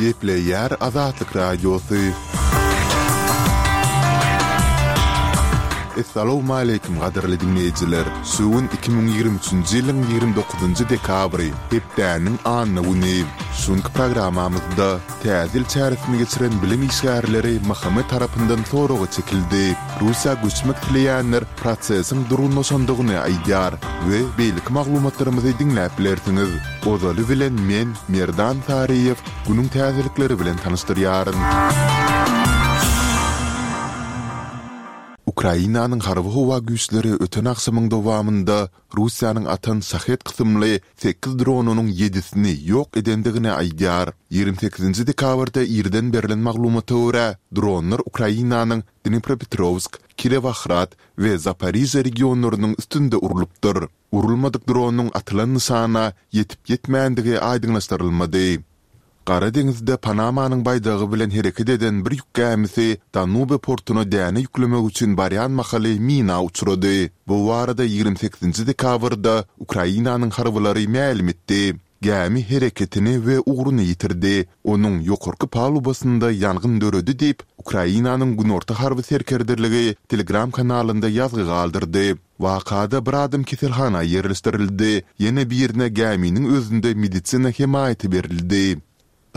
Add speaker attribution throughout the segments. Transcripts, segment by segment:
Speaker 1: Gepleýär Azatlyk Radiosy. Essalawmaleýkim gadyrly diňleýjiler! Şu gün 2023-nji ýylyň 29-njy dekabry, hepdäniň anna güni. Şu günki programmamyzda Täze ýyl çäresini geçiren bilim işgärleri MHM tarapyndan soraga çekildi. Russiýa göçmek isleýänler prosesiň durgunlaşandygyny aýdýar we beýleki maglumatlarymyzy diňläp bilersiňiz. Ozaly bilen men, Merdan Saryýew, günüň täzelikleri bilen tanyşdyrýaryn. Ukrainanyň harby-howa güýçleri öten agşamyň dowamynda Russiýanyň atan Şahed kysymly sekiz dronynyň ýedisini ýok edendigini aýdýar. 28-nji dekabrda irden berlen maglumata görä, dronlar Ukrainanyň Dnipropetrowsk, Kirowohrad we Zaporižýa regionlarynyň üstünde urlupdyr. Urulmadyk dronyň atylan nyşana ýetip-ýetmändigi aýdyňlaşdyrylmady. Gara deňizde Panamanyň baýdagy bilen hereket eden bir ýük gämisi Danube portuna däne ýüklemek üçin barýan mahaly mina uçrady. Bu barada 28-nji dekabrda Ukrainanyň harbylary mälim etdi. Gämi hereketini we ugruny ýitirdi, onuň ýokarky palubasynda ýangyn döredi diýip, Ukrainanyň Günorta harby serkerdeligi Telegram kanalynda ýazgy galdyrdy. Wakada bir adam keselhana ýerleşdirildi, ýene birine gäminiň özünde medisina hemaýaty berildi.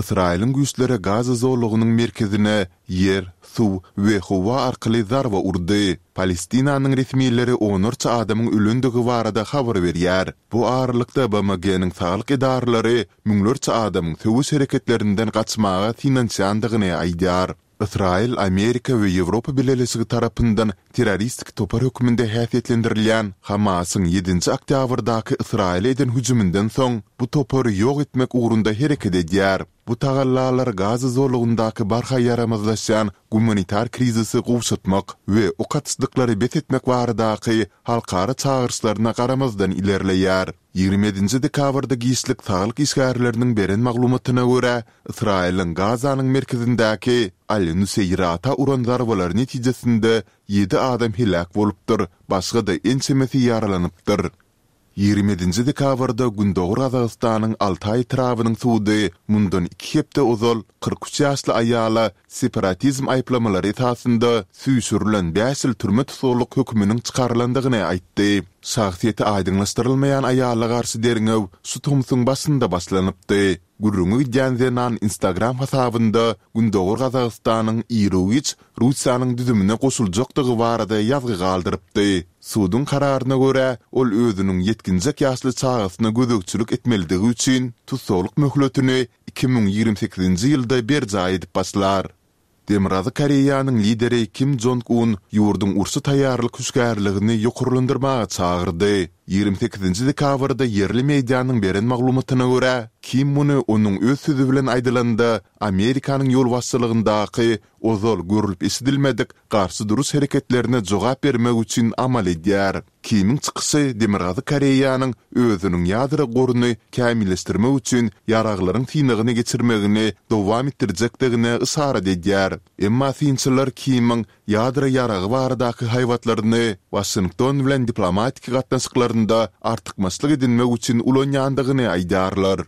Speaker 1: Ysraýylyň güýçleri Gaza zolagynyň merkezine ýer, suw we howa arkaly zarba urdy. Palestinanyň resmileri onlarça adamyň ölendigi barada habar berýär. Bu aralykda BMG-niň saglyk edaralary müňlerçe adamyň söweş hereketlerinden gaçmaga synanyşýandygyny aýdýar. Ysraýyl Amerika we Ýewropa Bileleşigi tarapyndan terroristik topar hökmünde häsiýetlendirilýän Hamasyň ýedinji oktýabrdaky Ysraýyla eden hüjüminden soň bu topary ýok etmek ugrunda hereket edýär. Bu tagallalar Gaza zolagyndaky barha ýaramazlaşýan gumanitar krizisi gowşatmak we ok atyşlyklary bes etmek baradaky halkara çagyryşlaryna garamazdan ilerleýär. 27-nji dekabrda giçlik saglyk işgärleriniň beren maglumatyna görä, Ysraýylyň Gazanyň merkezindäki Al-Nuseýrata uran zarbalary netijesinde ýedi adam heläk bolupdyr, başga-da ençemesi ýaralanypdyr. 27-nji dekabrda Gündogar Gazagystanyň Altaý etrabynyň sudy mundan iki hepde ozal 43 ýaşly aýala separatizm aýyplamalary esasynda süýşürilen bäş ýyl türme tussaglyk höküminiň çykarylandygyny aýtdy. Şahsyýeti aýdyňlaşdyrylmaýan aýala garşy derňew şu tomsuň başynda başlanypdy. Gürrüňi gidýän zenan Instagram hasabynda Gündogar Gazagystanyň iru-giç Russiýanyň düzümine goşuljakdygy barada ýazgy galdyrypdy. Suduň kararyna görä, ol özüniň ýetginjek ýaşly çagasyna gözegçilik etmelidigi üçin tussaglyk möhletini 2028-nji ýylda berjaý edip başlar. Demirgazyk Koreýanyň lideri Kim Jong Un ýurduň urşa taýýarlyk hüşgärligini ýokarlandyrmaga çagyrdy. 28-nji dekabrda ýerli medianyň beren maglumatyna görä, Kim muny onuň öz sözi bilen aýdylanda, Amerikanyň ýolbaşçylygyndaky ozal görlüp-eşidilmedik garşy duruş hereketlerine jogap bermek üçin amal edýär. Kimiň çykyşy Demirgazyk Koreýanyň özüniň ýadro goruny kämilleşdirmek üçin ýaraglaryň synagyny geçirmegini dowam etdirjekdigine yşarat edýär. Emma synçylar Kimiň ýadro ýaragy baradaky haýbatlaryny Waşington bilen diplomatik gatnaşyklarynda artykmaçlyk edinmek üçin ulanýandygyny aýdýarlar.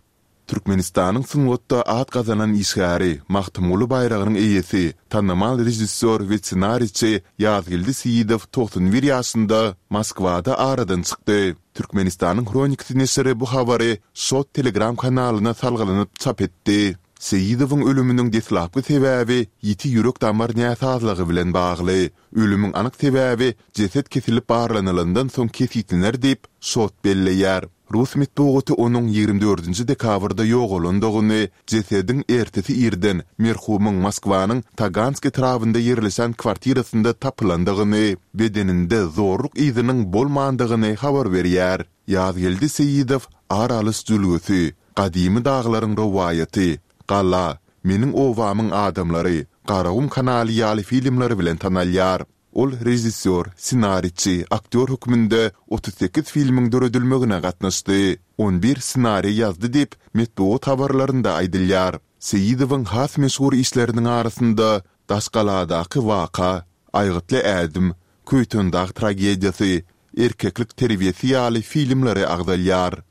Speaker 1: Türkmenistanyň sungatda at gazanan işgäri, Magtymguly baýragynyň eýesi, tanymal režissýor we ssenariçi Ýazgeldi Seýidow 91 ýaşynda Moskwada aradan çykdy. Türkmenistanyň Hronikasy neşiri bu habary Şot Telegram kanalyna salgylanyp çap etdi. Seýidowyň ölüminiň deslapky sebäbi ýiti ýürek-damar näsazlygy bilen bagly. Ölümiň anyk sebäbi jeset kesilip barlanylandan soň kesgitlener diýip, Şot belleýär. Rus metbugaty onuň 24-nji dekabrda ýogalandygyny, jesediň ertesi irden merhumyň Moskwanyň Tagansk etrabynda ýerleşen kwartirasynda tapylandygyny, bedeninde zorluk yzynyň bolmandygyny habar berýär. Ýazgeldi Seýidow Ar alyş jülgesi, Gadymy daglaryň rowaýaty, Gala, Meniň obamyň adamlary, Garagum kanaly ýaly filmleri bilen tanalýar. Ol režissýor, ssenariçi, aktýor hökmünde 38 filmiň döredilmegine gatnaşdy. On bir ssenariý ýazdy diýip, metbugat habarlarynda aýdylýar. Seýidowyň has meşhur işleriniň arasynda Daşgaladaky waka, Aýgytly ädim, Köýtendag tragediýasy, Erkeklik terbiýesi ýaly filmleri agzalýar.